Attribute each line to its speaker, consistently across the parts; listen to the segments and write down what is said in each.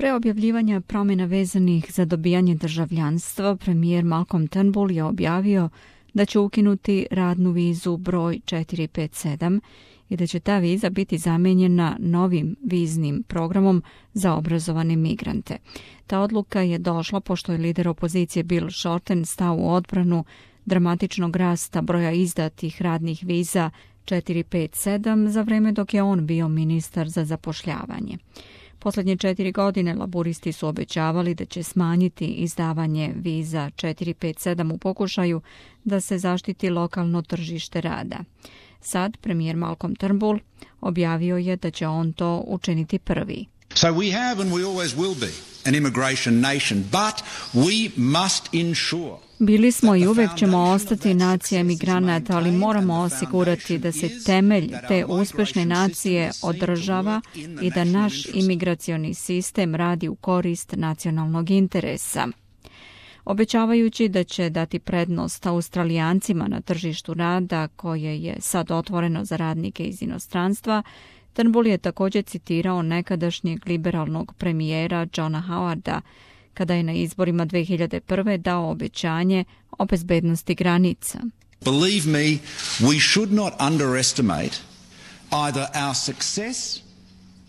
Speaker 1: Pre objavljivanja promjena vezanih za dobijanje državljanstva, premijer Malcolm Turnbull je objavio da će ukinuti radnu vizu broj 457 i da će ta viza biti zamijenjena novim viznim programom za obrazovane migrante. Ta odluka je došla pošto je lider opozicije Bill Shorten stao u odbranu dramatičnog rasta broja izdatih radnih viza 457 za vreme dok je on bio ministar za zapošljavanje. Posljednje 4 godine laburisti su obećavali da će smanjiti izdavanje viza 457 u pokušaju da se zaštiti lokalno tržište rada. Sad premijer Malcolm Turnbull objavio je da će on to učiniti prvi.
Speaker 2: So we have and we always will be an immigration nation, but we must ensure.
Speaker 1: Bili smo i uvek ćemo ostati nacija emigranata, ali moramo osigurati da se temelj te uspešne nacije održava i da naš imigracioni sistem radi u korist nacionalnog interesa. Obećavajući da će dati prednost Australijancima na tržištu rada koje je sad otvoreno za radnike iz inostranstva, Turnbull je također citirao nekadašnjeg liberalnog premijera Johna Howarda kada je na izborima 2001. dao obećanje o bezbednosti granica.
Speaker 2: Believe me, we should not underestimate either our success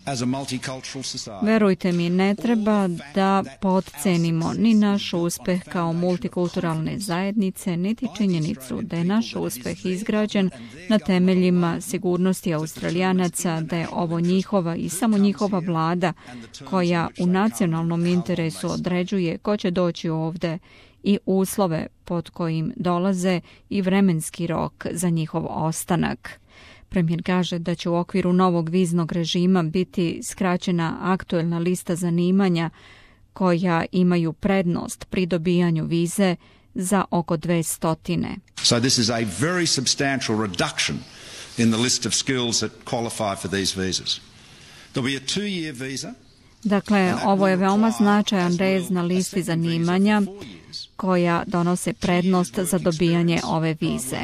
Speaker 2: as a multicultural society.
Speaker 1: Verujte mi, ne treba da potcenimo ni naš uspeh kao multikulturalne zajednice, niti činjenicu da je naš uspeh izgrađen na temeljima sigurnosti Australijanaca, da je ovo njihova i samo njihova vlada koja u nacionalnom interesu određuje ko će doći ovde i uslove pod kojim dolaze i vremenski rok za njihov ostanak. Premijer kaže da će u okviru novog viznog režima biti skraćena aktuelna lista zanimanja koja imaju prednost pri dobijanju vize za oko 200.
Speaker 2: So this is a very substantial reduction in the list of skills that qualify for these visas. There'll be a 2-year visa.
Speaker 1: Dakle, ovo je veoma značajan rez na listi zanimanja koja donose prednost za dobijanje ove vize.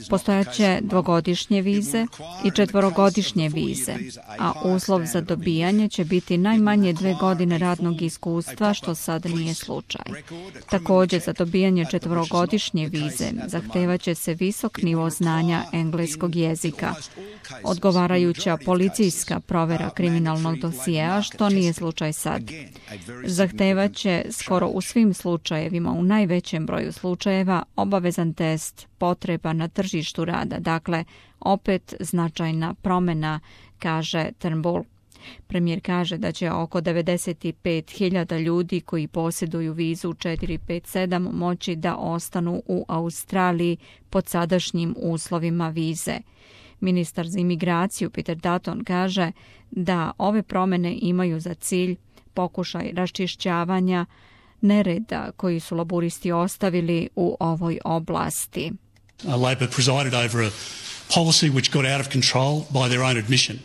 Speaker 1: Postojaće 2-godišnje vize i 4-godišnje vize, a uslov za dobijanje će biti najmanje 2 godine radnog iskustva, što sad nije slučaj. Također, za dobijanje 4-godišnje vize zahtevaće se visok nivo znanja engleskog jezika, odgovarajuća policijska provera kriminalnog dosjea, što nije slučaj sad. Zahtevaće skoro u svim slučajevima, u najvećem broju slučajeva, obavezan test potreba na tržištu rada. Dakle, opet značajna promjena, kaže Turnbull. Premijer kaže da će oko 95.000 ljudi koji posjeduju vizu 457 moći da ostanu u Australiji pod sadašnjim uslovima vize. Ministar za imigraciju Peter Dutton kaže da ove promjene imaju za cilj pokušaj raščišćavanja nereda koji su laburisti ostavili u ovoj oblasti.
Speaker 3: Labor presided over a policy which got out of control by their own admission.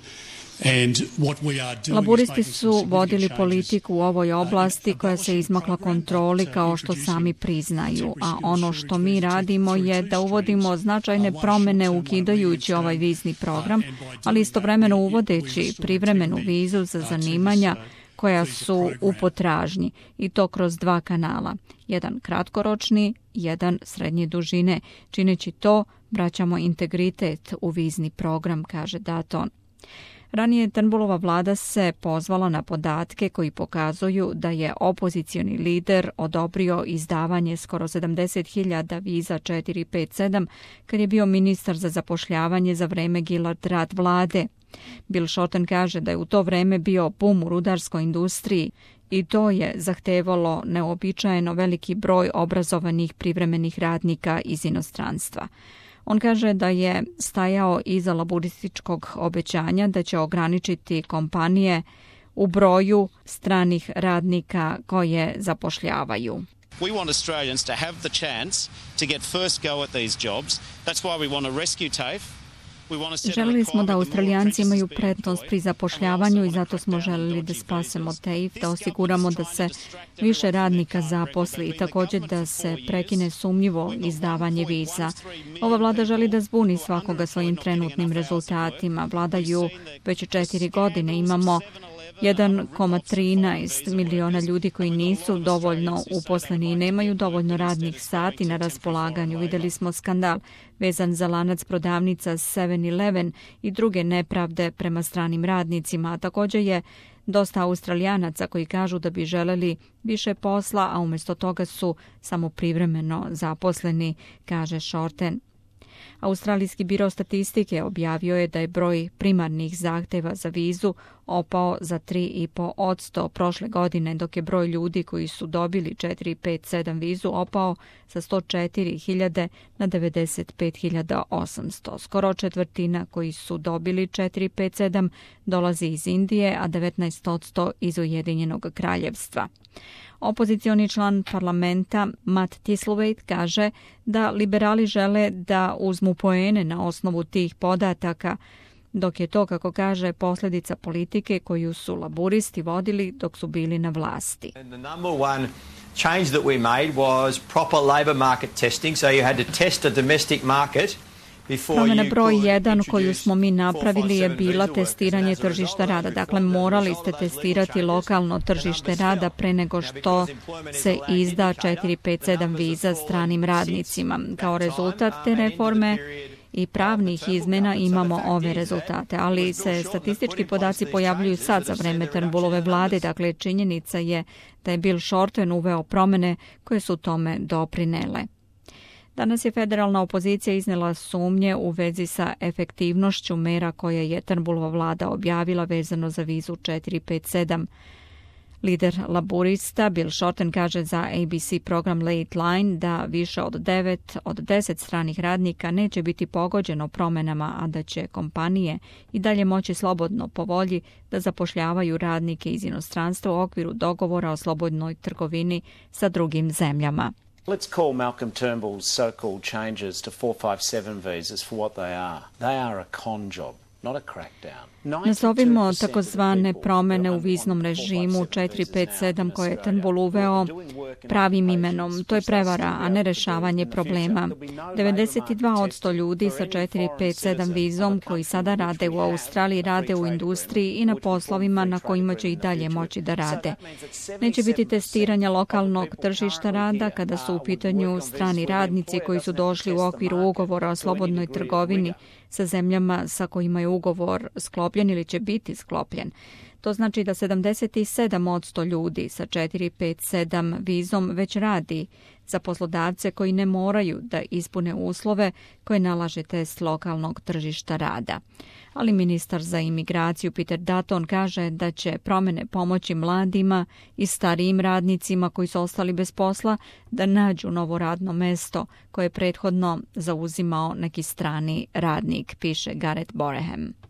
Speaker 1: Laburisti su vodili politiku u ovoj oblasti koja se izmakla kontroli kao što sami priznaju, a ono što mi radimo je da uvodimo značajne promjene ukidajući ovaj vizni program, ali istovremeno uvodeći privremenu vizu za zanimanja koja su u potražnji i to kroz 2 kanala. Jedan kratkoročni, jedan srednje dužine. Čineći to, vraćamo integritet u vizni program, kaže Dutton. Ranije Turnbullova vlada se pozvala na podatke koji pokazuju da je opozicioni lider odobrio izdavanje skoro 70.000 viza 457 kad je bio ministar za zapošljavanje za vreme Gillard Rudd vlade. Bill Shorten kaže da je u to vreme bio bum u rudarskoj industriji i to je zahtevalo neobičajeno veliki broj obrazovanih privremenih radnika iz inostranstva. On kaže da je stajao iza laburističkog obećanja da će ograničiti kompanije u broju stranih radnika koje zapošljavaju.
Speaker 4: We want Australians to have the chance to get first go at these jobs. That's why we want to rescue TAFE.
Speaker 1: Želili smo da Australijanci imaju prednost pri zapošljavanju i zato smo želeli da spasemo TAFE, da osiguramo da se više radnika zaposli i također da se prekine sumnjivo izdavanje viza. Ova vlada želi da zbuni svakoga svojim trenutnim rezultatima. Vladaju već 4 godine, imamo 1,13 miliona ljudi koji nisu dovoljno uposleni i nemaju dovoljno radnih sati na raspolaganju. Vidjeli smo skandal vezan za lanac prodavnica 7-Eleven i druge nepravde prema stranim radnicima, a također je dosta Australijanaca koji kažu da bi želeli više posla, a umjesto toga su samo privremeno zaposleni, kaže Shorten. Australijski biro statistike objavio je da je broj primarnih zahtjeva za vizu opao za 3,5% prošle godine, dok je broj ljudi koji su dobili 457 vizu opao sa 104.000 na 95.800. Skoro četvrtina koji su dobili 457 dolazi iz Indije, a 19% iz Ujedinjenog kraljevstva. Opozicioni član parlamenta Matt Thistlethwaite kaže da liberali žele da uzmu poene na osnovu tih podataka, dok je to, kako kaže, posljedica politike koju su laburisti vodili dok su bili na vlasti.
Speaker 5: Change that we made was proper labour market testing, so you had to test a domestic market.
Speaker 1: Promjena broj 1 koju smo mi napravili je bila testiranje tržišta rada. Dakle, morali ste testirati lokalno tržište rada pre nego što se izda 457 viza stranim radnicima. Kao rezultat te reforme i pravnih izmjena imamo ove rezultate, ali se statistički podaci pojavljuju sad za vreme Turnbullove vlade, dakle činjenica je da je Bill Shorten uveo promjene koje su tome doprinele. Danas je federalna opozicija iznijela sumnje u vezi sa efektivnošću mera koje je Turnbullova vlada objavila vezano za vizu 457. Lider laburista Bill Shorten kaže za ABC program Late Line da više od 9 od 10 stranih radnika neće biti pogođeno promjenama, a da će kompanije i dalje moći slobodno po volji da zapošljavaju radnike iz inostranstva u okviru dogovora o slobodnoj trgovini sa drugim zemljama.
Speaker 6: Let's call Malcolm Turnbull's so-called changes to 457 visas for what they are. They are a con job, not a crackdown.
Speaker 1: Nazovimo takozvane promjene u viznom režimu 457 koje je Turnbull uveo pravim imenom. To je prevara, a ne rešavanje problema. 92% ljudi sa 457 vizom koji sada rade u Australiji rade u industriji i na poslovima na kojima će i dalje moći da rade. Neće biti testiranja lokalnog tržišta rada kada su u pitanju strani radnici koji su došli u okviru ugovora o slobodnoj trgovini sa zemljama sa kojima je ugovor sklopljen ili će biti sklopljen. To znači da 77% ljudi sa 457 vizom već radi za poslodavce koji ne moraju da ispune uslove koje nalaže test lokalnog tržišta rada. Ali ministar za imigraciju Peter Dutton kaže da će promjene pomoći mladima i starijim radnicima koji su ostali bez posla da nađu novo radno mesto koje je prethodno zauzimao neki strani radnik, piše Gareth Boreham.